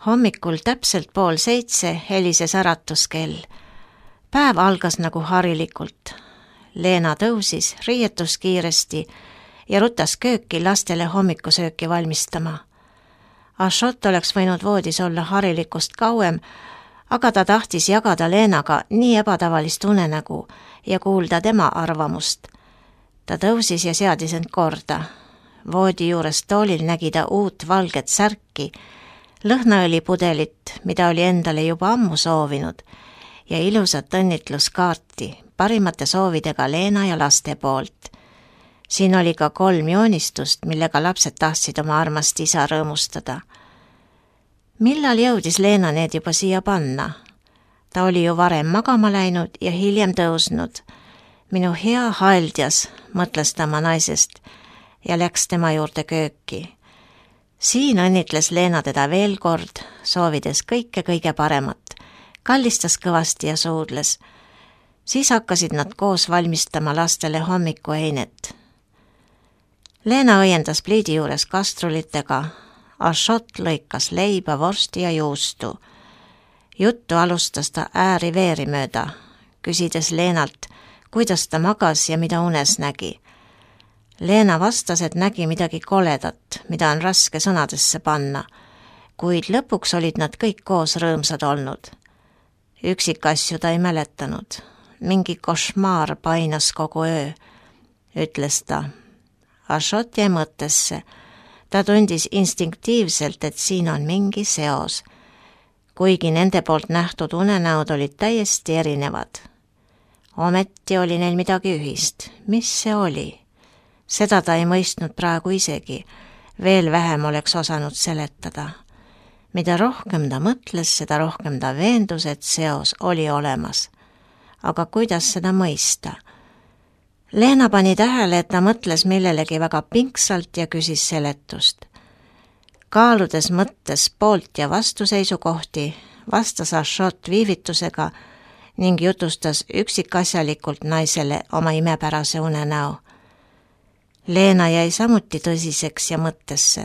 Hommikul täpselt 6:30 helises äratuskell. Päev algas nagu harilikult. Leena tõusis, riietus kiiresti ja rutas kööki lastele hommikusööki valmistama. Ashot oleks võinud voodis olla harilikust kauem, aga ta tahtis jagada Leenaga nii ebatavalist unenägu ja kuulda tema arvamust. Ta tõusis ja seadis end korda. Voodi juures toolil nägi ta uut valget särki, lõhnaõlipudelit, mida oli endale juba ammu soovinud, ja ilusat õnnitluskaarti parimate soovidega Leena ja laste poolt. Siin oli ka 3 joonistust, millega lapsed tahtsid oma armast isa rõõmustada. Millal jõudis Leena need juba siia panna? Ta oli ju varem magama läinud ja hiljem tõusnud. Minu hea haldjas, mõtles ta oma naisest ja läks tema juurde kööki. Siin õnnitles Leena teda veel kord, soovides kõike paremat. Kallistas kõvasti ja suudles. Siis hakkasid nad koos valmistama lastele hommikueinet. Leena õiendas pliidi juures kastrulitega. Ashot lõikas leiba, vorsti ja juustu. Juttu alustas ta ääri-veeri mööda, küsides Leenalt, kuidas ta magas ja mida unes nägi. Leena vastas, et nägi midagi koledat, mida on raske sõnadesse panna, kuid lõpuks olid nad kõik koos rõõmsad olnud. Üksikasju ta ei mäletanud. Mingi košmaar painas kogu öö, ütles ta. Ashot jäi mõttesse. Ta tundis instinktiivselt, et siin on mingi seos, kuigi nende poolt nähtud unenäod olid täiesti erinevad. Ometi oli neil midagi ühist. Mis see oli? Seda ta ei mõistnud praegu isegi. Veel vähem oleks osanud seletada. Mida rohkem ta mõtles, seda rohkem ta veendus, et seos oli olemas. Aga kuidas seda mõista? Leena pani tähele, et ta mõtles millelegi väga pingsalt ja küsis seletust. Kaaludes mõttes poolt ja vastuseisukohti, vastas Ashot viivitusega ning jutustas üksikasjalikult naisele oma imepärase unenäo. Leena jäi samuti tõsiseks ja mõttesse.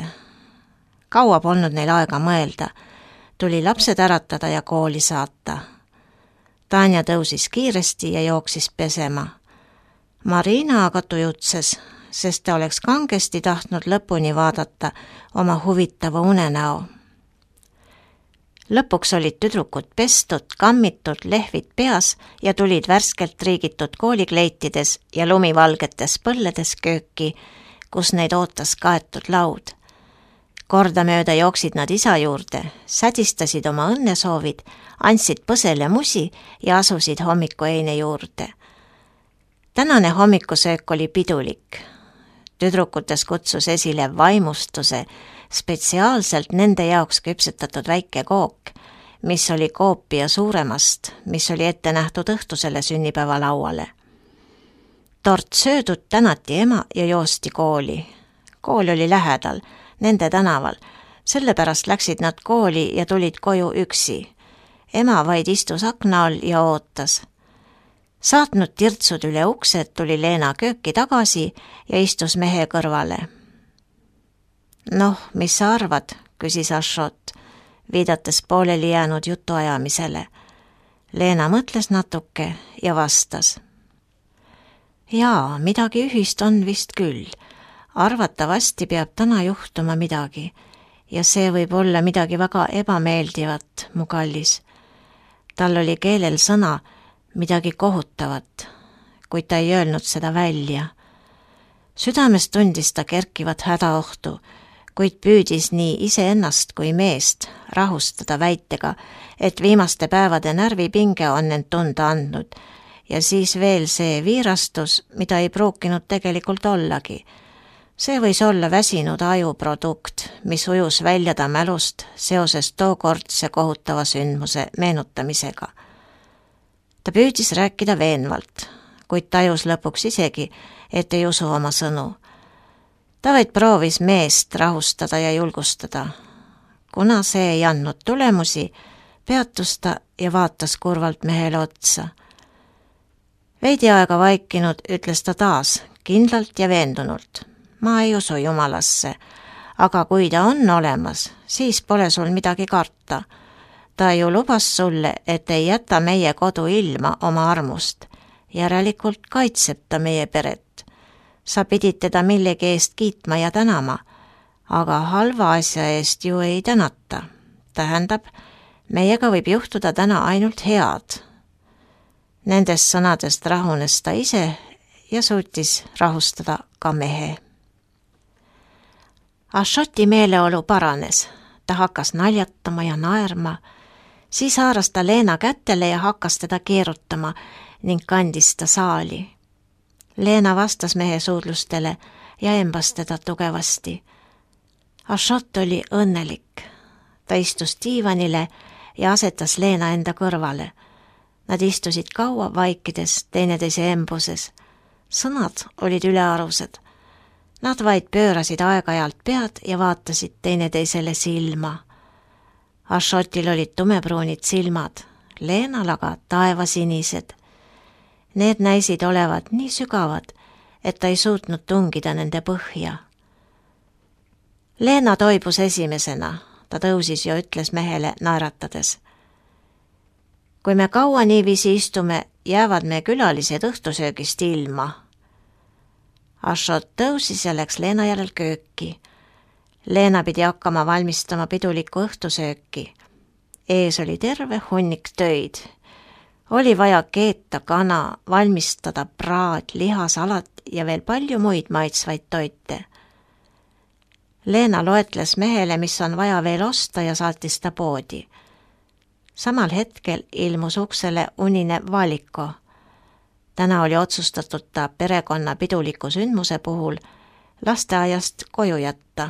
Kaua polnud neil aega mõelda. Tuli lapsed äratada ja kooli saata. Tanja tõusis kiiresti ja jooksis pesema. Marina aga tujutses, sest ta oleks kangesti tahtnud lõpuni vaadata oma huvitava unenäo. Lõpuks olid tüdrukud pestud, kammitud, lehvid peas ja tulid värskelt riigitud koolikleitides ja lumivalgetes põlledes kööki, kus neid ootas kaetud laud. Kordamööda jooksid nad isa juurde, sädistasid oma õnnesoovid, andsid põsele musi ja asusid hommikueine juurde. Tänane hommikusöök oli pidulik. Tüdrukutes kutsus esile vaimustuse spetsiaalselt nende jaoks küpsetatud väike kook, mis oli koopia suuremast, mis oli ette nähtud õhtusele sünnipäevalauale. Tort söödud tänati ema ja joosti kooli. Kool oli lähedal, nende tänaval, sellepärast läksid nad kooli ja tulid koju üksi. Ema vaid istus akna all ja ootas. Saatnud tirtsud üle uksed, tuli Leena kööki tagasi ja istus mehe kõrvale. Noh, mis sa arvad, küsis Ashot, viidates pooleli jäänud jutuajamisele. Leena mõtles natuke ja vastas. Jaa, midagi ühist on vist küll. Arvatavasti peab täna juhtuma midagi ja see võib olla midagi väga ebameeldivat, mu kallis. Tal oli keelel sõna, midagi kohutavat, kuid ta ei öelnud seda välja. Südames tundis ta kerkivat hädaohtu, kuid püüdis nii iseennast kui meest rahustada väitega, et viimaste päevade närvipinge on end tunda andnud ja siis veel see viirastus, mida ei pruukinud tegelikult ollagi. See võis olla väsinud ajuprodukt, mis ujus välja ta mälust seoses tookordse kohutava sündmuse meenutamisega. Ta püüdis rääkida veenvalt, kuid tajus lõpuks isegi, et ei usu oma sõnu. Ta vaid proovis meest rahustada ja julgustada. Kuna see ei andnud tulemusi, peatus ta ja vaatas kurvalt mehele otsa. Veidi aega vaikinud ütles ta taas, kindlalt ja veendunult. Ma ei usu Jumalasse, aga kui ta on olemas, siis pole sul midagi karta. Ta ju lubas sulle, et ei jäta meie kodu ilma oma armust. Järelikult kaitseb ta meie peret. Sa pidid teda millegi eest kiitma ja tänama, aga halva asja eest ju ei tänata. Tähendab, meiega võib juhtuda täna ainult head. Nendest sõnadest rahunes ta ise ja suutis rahustada ka mehe. Ashoti meeleolu paranes. Ta hakkas naljatama ja naerma. Siis haaras ta Leena kätele ja hakkas teda keerutama ning kandis ta saali. Leena vastas mehe suudlustele ja embas teda tugevasti. Ashot oli õnnelik. Ta istus diivanile ja asetas Leena enda kõrvale. Nad istusid kaua vaikides teineteise embuses. Sõnad olid ülearused. Nad vaid pöörasid aeg-ajalt pead ja vaatasid teineteisele silma. Ashotil olid tumepruunid silmad, Leenal aga taevasinised. Need näisid olevat nii sügavad, et ta ei suutnud tungida nende põhja. Leena toibus esimesena. Ta tõusis ja ütles mehele naeratades. Kui me kaua niiviisi istume, jäävad me külalised õhtusöögist ilma. Ashot tõusis ja läks Leena järel kööki. Leena pidi hakkama valmistama pidulikku õhtusööki. Ees oli terve hunnik töid. Oli vaja keeta kana, valmistada praad, lihasalat ja veel palju muid maitsvaid toite. Leena loetles mehele, mis on vaja veel osta ja saatis ta poodi. Samal hetkel ilmus uksele unine Valiko. Täna oli otsustatud ta perekonna piduliku sündmuse puhul lasteaiast koju jätta.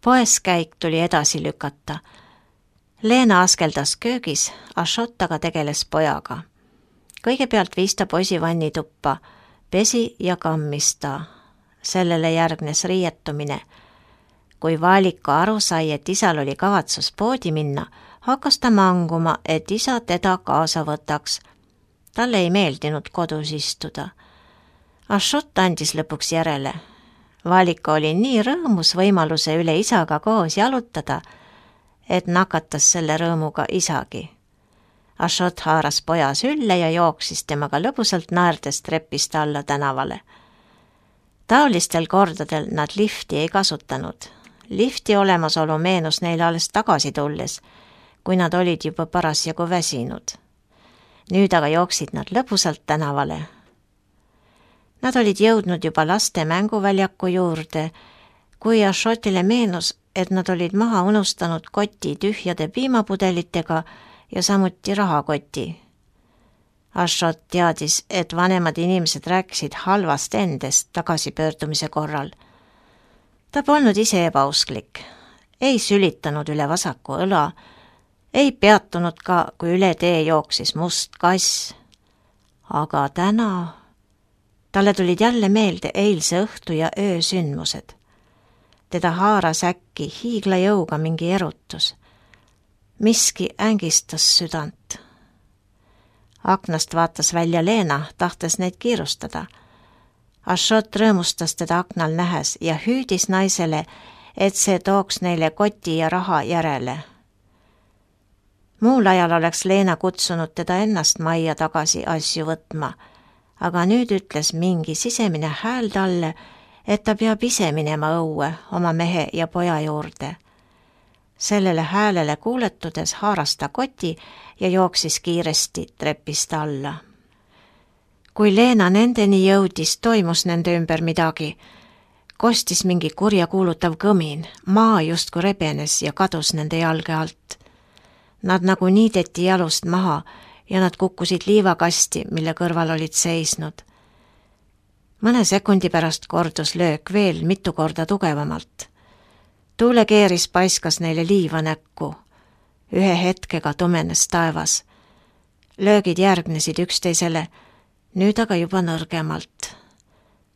Poeskäik tuli edasi lükata. Leena askeldas köögis, Ashot aga tegeles pojaga. Kõigepealt viis ta poisi vannituppa, pesi ja kammis ta. Sellele järgnes riietumine. Kui Valiko aru sai, et isal oli kavatsus poodi minna, hakkas ta manguma, et isa teda kaasa võtaks. Talle ei meeldinud kodus istuda. Ashot andis lõpuks järele. Valiko oli nii rõõmus võimaluse üle isaga koos jalutada, et nakatas selle rõõmuga isagi. Ashot haaras poja sülle ja jooksis temaga lõbusalt naerdes trepist alla tänavale. Taolistel kordadel nad lifti ei kasutanud. Lifti olemasolu meenus neile alles tagasi tulles, kui nad olid juba parasjagu väsinud. Nüüd aga jooksid nad lõbusalt tänavale. Nad olid jõudnud juba laste mänguväljaku juurde, kui Ashotile meenus, et nad olid maha unustanud koti tühjade piimapudelitega ja samuti rahakoti. Ashot teadis, et vanemad inimesed rääkisid halvast endest tagasipöördumise korral. Ta polnud ise ebausklik, ei sülitanud üle vasaku õla, ei peatunud ka, kui üle tee jooksis must kass. Aga täna talle tulid jälle meelde eilse õhtu ja öö sündmused. Teda haaras äkki hiiglajõuga mingi erutus. Miski ängistas südant. Aknast vaatas välja Leena, tahtes neid kiirustada. Ashot rõõmustas teda aknal nähes ja hüüdis naisele, et see tooks neile koti ja raha järele. Muul ajal oleks Leena kutsunud teda ennast majja tagasi asju võtma, aga nüüd ütles mingi sisemine hääl talle, et ta peab ise minema õue oma mehe ja poja juurde. Sellele häälele kuuletudes haaras ta koti ja jooksis kiiresti trepist alla. Kui Leena nendeni jõudis, toimus nende ümber midagi. Kostis mingi kurjakuulutav kõmin, maa justkui rebenes ja kadus nende jalge alt. Nad nagu niideti jalust maha ja nad kukkusid liivakasti, mille kõrval olid seisnud. Mõne sekundi pärast kordus löök veel mitu korda tugevamalt. Tuulekeeris paiskas neile liiva näkku. Ühe hetkega tumenes taevas. Löögid järgnesid üksteisele, nüüd aga juba nõrgemalt.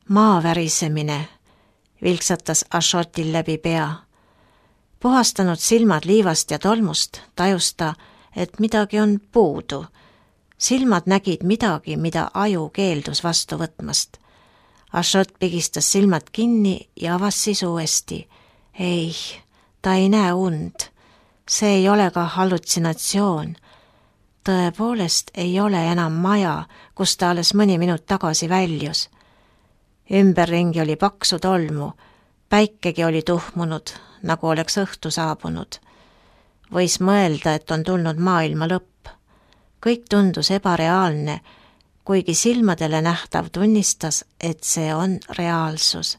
Maa värisemine vilksatas Ashotil läbi pea. Puhastanud silmad liivast ja tolmust, tajus ta, et midagi on puudu. Silmad nägid midagi, mida aju keeldus vastu võtmast. Ashot pigistas silmad kinni ja avas siis uuesti. Ei, ta ei näe und. See ei ole ka hallutsinatsioon. Tõepoolest ei ole enam maja, kus ta alles mõni minut tagasi väljus. Ümberringi oli paksu tolmu, päikegi oli tuhmunud, nagu oleks õhtu saabunud. Võis mõelda, et on tulnud maailma lõpp. Kõik tundus ebareaalne, kuigi silmadele nähtav tunnistas, et see on reaalsus.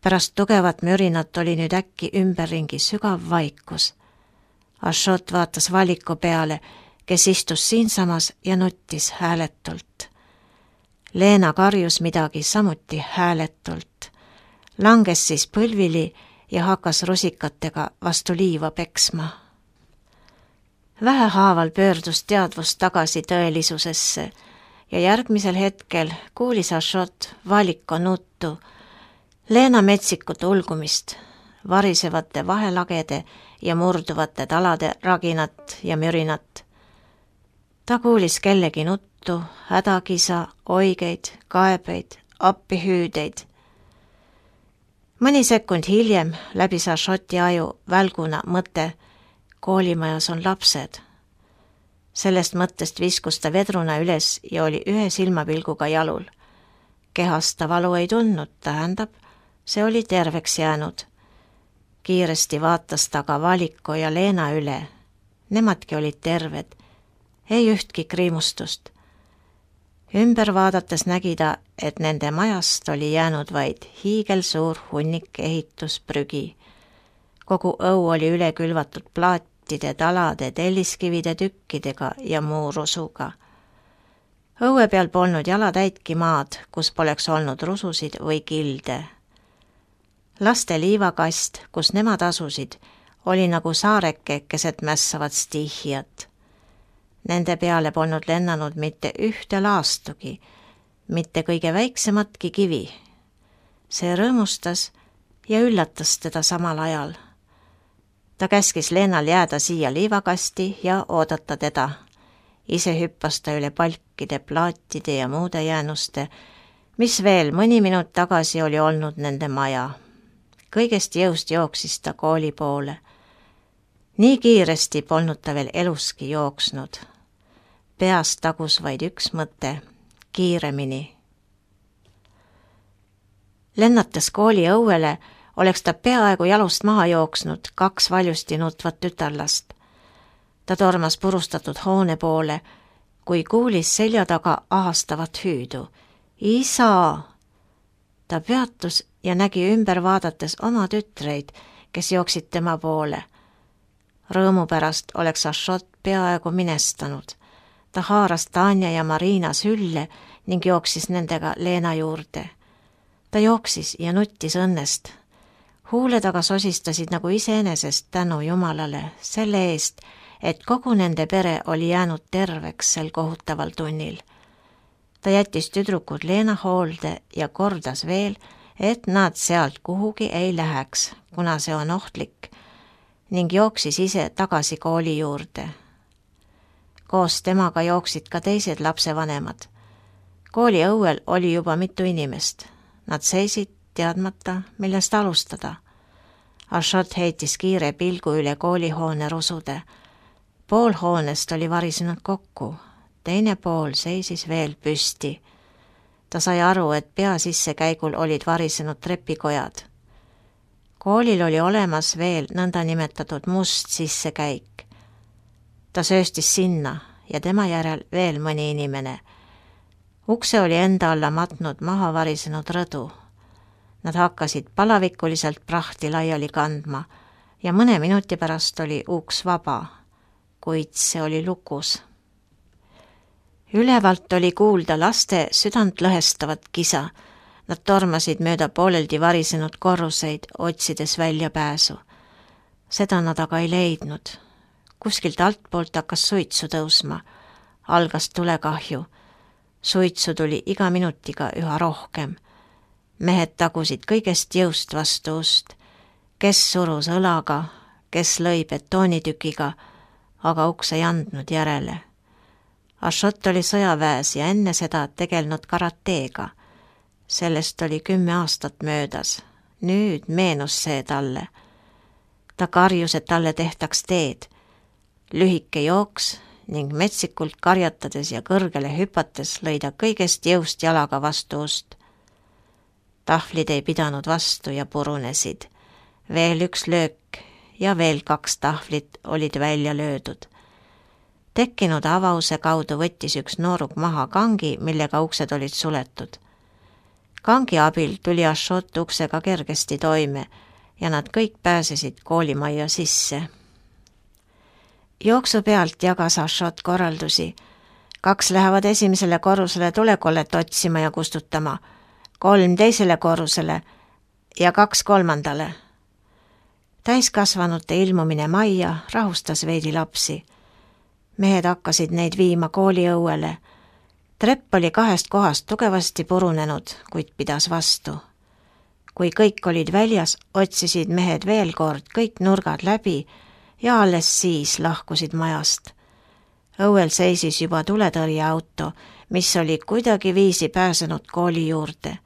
Pärast tugevat mürinat oli nüüd äkki ümberringi sügav vaikus. Ashot vaatas valiku peale, kes istus siinsamas ja nuttis hääletult. Leena karjus midagi samuti hääletult. Langes siis põlvili ja hakkas rusikatega vastu liiva peksma. Vähehaaval pöördus teadvus tagasi tõelisusesse ja järgmisel hetkel kuulis Ashot valiko nuttu, Leena metsikut ulgumist, varisevate vahelagede ja murduvate talade raginat ja mürinat. Ta kuulis kellegi nuttu, hädakisa, oigeid, kaebeid, appihüüdeid. Mõni sekund hiljem läbis Ashoti aju välguna mõte, koolimajas on lapsed. Sellest mõttest viskus ta vedruna üles ja oli ühe silmapilguga jalul. Kehast ta valu ei tundnud, tähendab, see oli terveks jäänud. Kiiresti vaatas ta ka Valiko ja Leena üle. Nemadki olid terved, ei ühtki kriimustust. Ümber vaadates nägi ta, et nende majast oli jäänud vaid hiigelsuur hunnik ehitusprügi. Kogu õu oli üle külvatud plaatide, talade, telliskivide tükkidega ja muu rusuga. Õue peal polnud jalatäitki maad, kus poleks olnud rususid või kilde. Laste liivakast, kus nemad asusid, oli nagu saareke keset mässavat stiihiat. Nende peale polnud lennanud mitte ühte laastugi, mitte kõige väiksematki kivi. See rõõmustas ja üllatas teda samal ajal. Ta käskis Leenal jääda siia liivakasti ja oodata teda. Ise hüppas ta üle palkide, plaatide ja muude jäänuste, mis veel mõni minut tagasi oli olnud nende maja. Kõigest jõust jooksis ta kooli poole. Nii kiiresti polnud ta veel eluski jooksnud. Peas tagus vaid üks mõte, kiiremini. Lennates kooli õuele oleks ta peaaegu jalust maha jooksnud 2 valjusti nutvat tütarlast. Ta tormas purustatud hoone poole, kui kuulis selja taga ahastavat hüüdu. Isa! Ta peatus ja nägi ümber vaadates oma tütreid, kes jooksid tema poole. Rõõmu pärast oleks Ashot peaaegu minestanud. Ta haaras Tanja ja Marina sülle ning jooksis nendega Leena juurde. Ta jooksis ja nuttis õnnest. Huule taga sosistasid nagu iseenesest tänu Jumalale selle eest, et kogu nende pere oli jäänud terveks sel kohutaval tunnil. Ta jättis tüdrukud Leena hoolde ja kordas veel, et nad sealt kuhugi ei läheks, kuna see on ohtlik, ning jooksis ise tagasi kooli juurde. Koos temaga jooksid ka teised lapsevanemad. Kooli õuel oli juba mitu inimest. Nad seisid teadmata, millest alustada. Ashot heitis kiire pilgu üle koolihoone rusude. Pool hoonest oli varisenud kokku, teine pool seisis veel püsti. Ta sai aru, et pea sissekäigul olid varisenud trepikojad. Koolil oli olemas veel nõndanimetatud must sissekäik. Ta sööstis sinna ja tema järel veel mõni inimene. Ukse oli enda alla matnud maha varisenud rõdu. Nad hakkasid palavikuliselt prahti laiali kandma ja mõne minuti pärast oli uks vaba, kuid see oli lukus. Ülevalt oli kuulda laste südant lõhestavat kisa. Nad tormasid mööda pooleldi varisenud korruseid, otsides väljapääsu. Seda nad aga ei leidnud. Kuskilt altpoolt hakkas suitsu tõusma. Algas tulekahju. Suitsu tuli iga minutiga üha rohkem. Mehed tagusid kõigest jõust vastu ust. Kes surus õlaga, kes lõi betoonitükiga, aga uks ei andnud järele. Ashot oli sõjaväes ja enne seda tegelnud karateega. Sellest oli 10 aastat möödas. Nüüd meenus see talle. Ta karjus, et talle tehtaks teed. Lühike jooks ning metsikult karjatades ja kõrgele hüpates lõi ta kõigest jõust jalaga vastu ust. Tahvlid ei pidanud vastu ja purunesid. Veel üks löök ja veel 2 tahvlit olid välja löödud. Tekkinud avause kaudu võttis üks nooruk maha kangi, millega uksed olid suletud. Kangi abil tuli Ashot uksega kergesti toime ja nad kõik pääsesid koolimajja sisse. Jooksu pealt jagas Ashot korraldusi. 2 lähevad esimesele korrusele tulekollet otsima ja kustutama, 3 teisele korrusele ja 2 kolmandale. Täiskasvanute ilmumine majja rahustas veidi lapsi. Mehed hakkasid neid viima kooliõuele. Trepp oli 2 kohast tugevasti purunenud, kuid pidas vastu. Kui kõik olid väljas, otsisid mehed veel kord kõik nurgad läbi ja alles siis lahkusid majast. Õuel seisis juba tuletõrjeauto, mis oli kuidagiviisi pääsenud kooli juurde.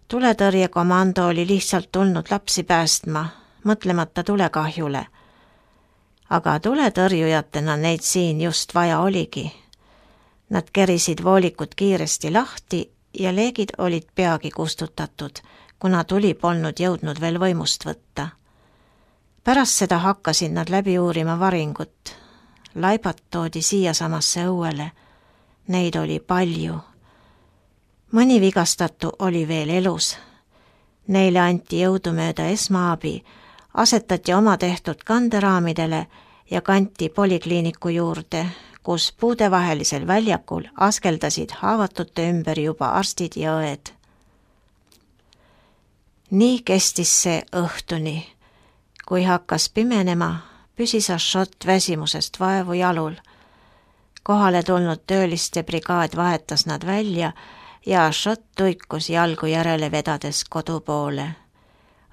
Tuletõrjekomando oli lihtsalt tulnud lapsi päästma, mõtlemata tulekahjule. Aga tuletõrjujatena neid siin just vaja oligi. Nad kerisid voolikud kiiresti lahti ja leegid olid peagi kustutatud, kuna tuli polnud jõudnud veel võimust võtta. Pärast seda hakkasid nad läbi uurima varingut. Laibad toodi siiasamasse õuele. Neid oli palju. Mõni vigastatu oli veel elus. Neile anti jõudumööda esmaabi, asetati oma tehtud kanderaamidele ja kanti polikliiniku juurde, kus puudevahelisel väljakul askeldasid haavatute ümber juba arstid ja õed. Nii kestis see õhtuni. Kui hakkas pimenema, püsis Ashot väsimusest vaevu jalul. Kohale tulnud tööliste brigaad vahetas nad välja ja Ashot tuikus jalgu järele vedades kodu poole.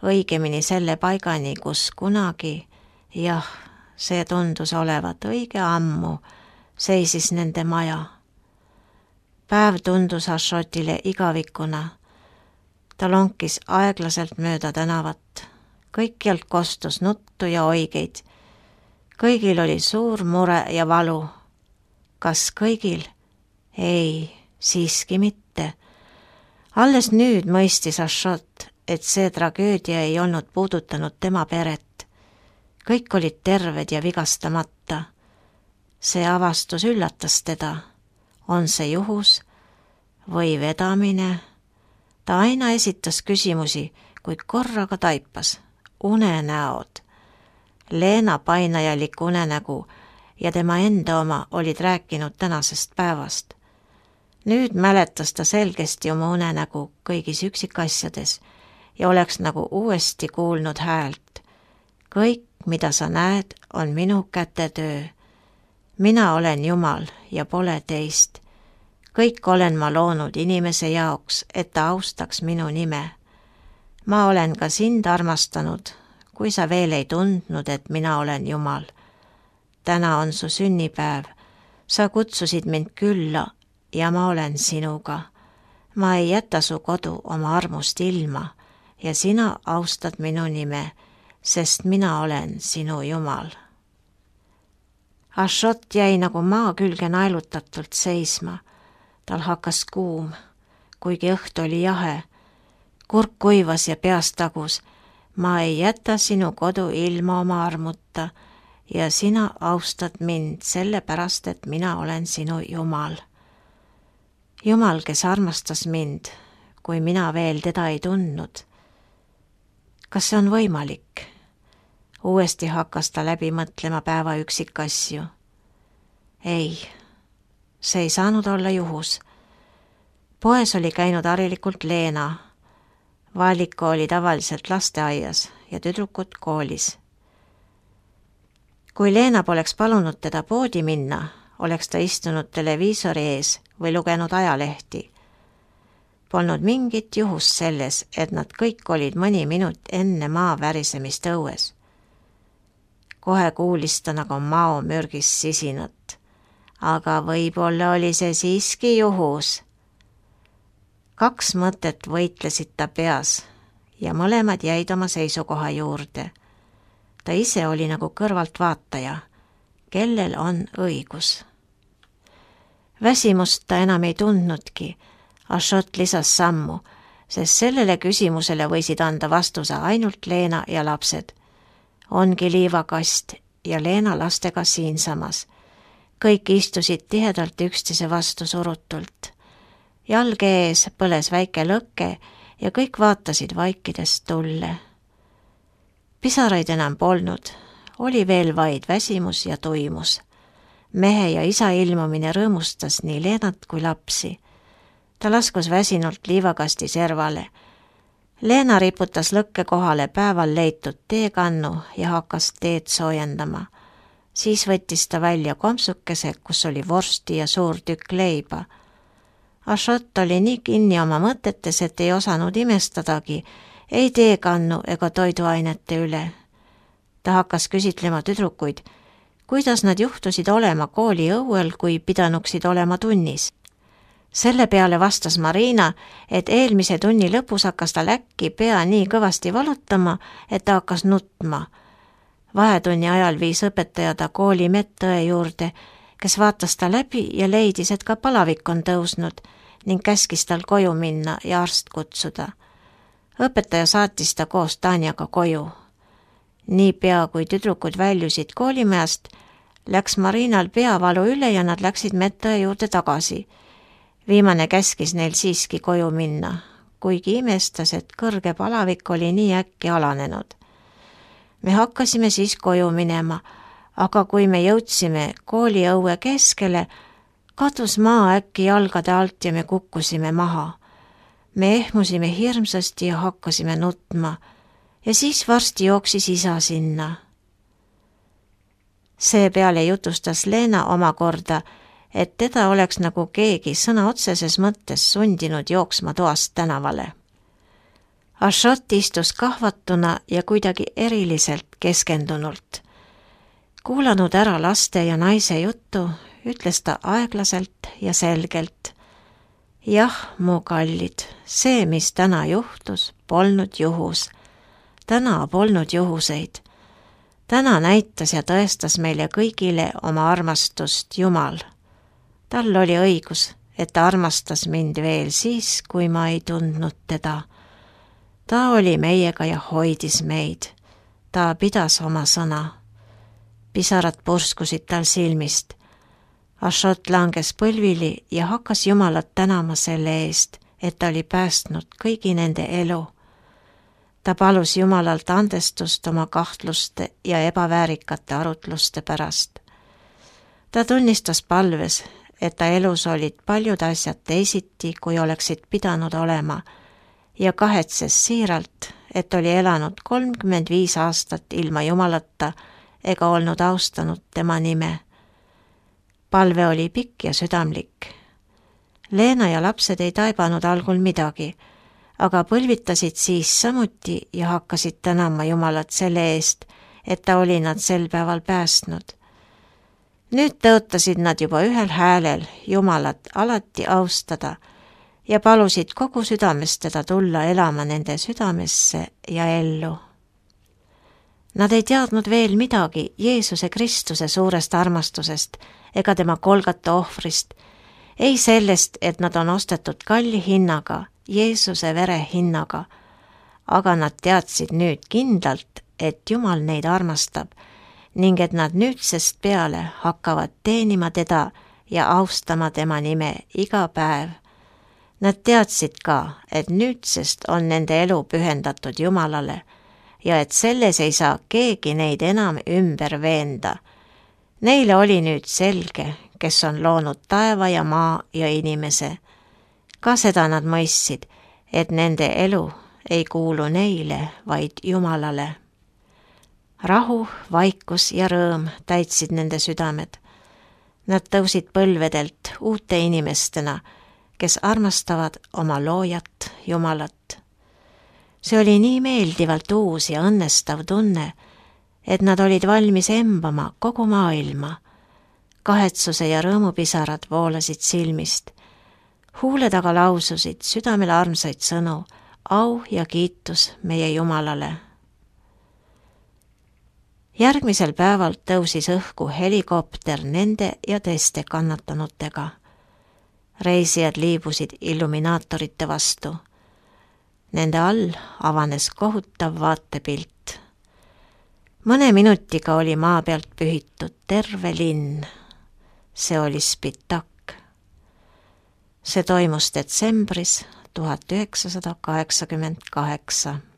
Õigemini selle paigani, kus kunagi, jah, see tundus olevat õige ammu, seisis nende maja. Päev tundus Ashotile igavikuna. Ta lonkis aeglaselt mööda tänavat. Kõikjalt kostus nuttu ja oigeid. Kõigil oli suur mure ja valu. Kas kõigil? Ei, siiski mitte. Alles nüüd mõistis Ashot, et see tragöödia ei olnud puudutanud tema peret. Kõik olid terved ja vigastamata. See avastus üllatas teda. On see juhus või vedamine? Ta aina esitas küsimusi, kuid korraga taipas. Unenäod. Leena painajalik unenägu ja tema enda oma olid rääkinud tänasest päevast. Nüüd mäletas ta selgesti oma unenägu kõigis üksikasjades ja oleks nagu uuesti kuulnud häält. Kõik, mida sa näed, on minu kätetöö. Mina olen Jumal ja pole teist. Kõik olen ma loonud inimese jaoks, et ta austaks minu nime. Ma olen ka sind armastanud, kui sa veel ei tundnud, et mina olen Jumal. Täna on su sünnipäev. Sa kutsusid mind külla ja ma olen sinuga. Ma ei jäta su kodu oma armust ilma ja sina austad minu nime, sest mina olen sinu Jumal. Ashot jäi nagu maa külge naelutatult seisma. Tal hakkas kuum, kuigi õhtu oli jahe. Kurk kuivas ja peast tagus. Ma ei jäta sinu kodu ilma oma armuta ja sina austad mind sellepärast, et mina olen sinu Jumal. Jumal, kes armastas mind, kui mina veel teda ei tundnud. Kas see on võimalik? Uuesti hakkas ta läbi mõtlema päeva üksikasju. Ei, see ei saanud olla juhus. Poes oli käinud harilikult Leena. Valiko oli tavaliselt lasteaias ja tüdrukud koolis. Kui Leena poleks palunud teda poodi minna, oleks ta istunud televiisori ees või lugenud ajalehti. Polnud mingit juhust selles, et nad kõik olid mõni minut enne maa värisemist õues. Kohe kuulis ta nagu mao mürgis sisinat. Aga võib-olla oli see siiski juhus. 2 mõtet võitlesid ta peas ja mõlemad jäid oma seisukoha juurde. Ta ise oli nagu kõrvaltvaataja, kellel on õigus. Väsimust ta enam ei tundnudki, Ashot lisas sammu, sest sellele küsimusele võisid anda vastuse ainult Leena ja lapsed. Ongi liivakast ja Leena lastega siinsamas. Kõik istusid tihedalt üksteise vastu surutult. Jalge ees põles väike lõkke ja kõik vaatasid vaikides tulle. Pisaraid enam polnud, oli veel vaid väsimus ja tuimus. Mehe ja isa ilmumine rõõmustas nii Leenat kui lapsi. Ta laskus väsinult liivakasti servale. Leena riputas lõkke kohale päeval leitud teekannu ja hakkas teed soojendama. Siis võttis ta välja kompsukese, kus oli vorsti ja suur tükk leiba. Ashot oli nii kinni oma mõtetes, et ei osanud imestadagi, ei teekannu ega toiduainete üle. Ta hakkas küsitlema tüdrukuid, kuidas nad juhtusid olema kooli õuel, kui pidanuksid olema tunnis. Selle peale vastas Marina, et eelmise tunni lõpus hakkas tal äkki pea nii kõvasti valutama, et ta hakkas nutma. Vahetunni ajal viis õpetaja ta kooli medõe juurde, kes vaatas ta läbi ja leidis, et ka palavik on tõusnud ning käskis tal koju minna ja arst kutsuda. Õpetaja saatis ta koos Tanjaga koju. Niipea kui tüdrukud väljusid koolimajast, läks Marinal peavalu üle ja nad läksid medõe juurde tagasi. Viimane käskis neil siiski koju minna, kuigi imestas, et kõrge palavik oli nii äkki alanenud. Me hakkasime siis koju minema, aga kui me jõudsime kooliõue keskele, kadus maa äkki jalgade alt ja me kukkusime maha. Me ehmusime hirmsasti ja hakkasime nutma ja siis varsti jooksis isa sinna. Seepeale jutustas Leena omakorda, et teda oleks nagu keegi sõna otseses mõttes sundinud jooksma toast tänavale. Ashot istus kahvatuna ja kuidagi eriliselt keskendunult. Kuulanud ära laste ja naise juttu, ütles ta aeglaselt ja selgelt. Jah, mu kallid, see, mis täna juhtus, polnud juhus. Täna polnud juhuseid. Täna näitas ja tõestas meile kõigile oma armastust Jumal. Tal oli õigus, et ta armastas mind veel siis, kui ma ei tundnud teda. Ta oli meiega ja hoidis meid. Ta pidas oma sõna. Pisarad purskusid tal silmist. Ashot langes põlvili ja hakkas Jumalat tänama selle eest, et ta oli päästnud kõigi nende elu. Ta palus Jumalalt andestust oma kahtluste ja ebaväärikate arutluste pärast. Ta tunnistas palves, et ta elus olid paljud asjad teisiti, kui oleksid pidanud olema, ja kahetses siiralt, et oli elanud 35 aastat ilma Jumalata ega olnud austanud tema nime. Palve oli pikk ja südamlik. Leena ja lapsed ei taibanud algul midagi, aga põlvitasid siis samuti ja hakkasid tänama Jumalat selle eest, et ta oli nad sel päeval päästnud. Nüüd tõotasid nad juba ühel häälel Jumalat alati austada ja palusid kogu südamest teda tulla elama nende südamesse ja ellu. Nad ei teadnud veel midagi Jeesuse Kristuse suurest armastusest ega tema Golgata ohvrist, ei sellest, et nad on ostetud kalli hinnaga, Jeesuse vere hinnaga, aga nad teadsid nüüd kindlalt, et Jumal neid armastab ning et nad nüüdsest peale hakkavad teenima teda ja austama tema nime iga päev. Nad teadsid ka, et nüüdsest on nende elu pühendatud Jumalale ja et selles ei saa keegi neid enam ümber veenda. Neile oli nüüd selge, kes on loonud taeva ja maa ja inimese. Ka seda nad mõistsid, et nende elu ei kuulu neile, vaid Jumalale. Rahu, vaikus ja rõõm täitsid nende südamed. Nad tõusid põlvedelt uute inimestena, kes armastavad oma loojat Jumalat. See oli nii meeldivalt uus ja õnnestav tunne, et nad olid valmis embama kogu maailma. Kahetsuse ja rõõmupisarad voolasid silmist. huule taga laususid südamele armsaid sõnu, au ja kiitus meie Jumalale. Järgmisel päeval tõusis õhku helikopter nende ja teiste kannatanutega. Reisijad liibusid illuminaatorite vastu. Nende all avanes kohutav vaatepilt. Mõne minutiga oli maa pealt pühitud terve linn. See oli Spitak. See toimus detsembris 1988.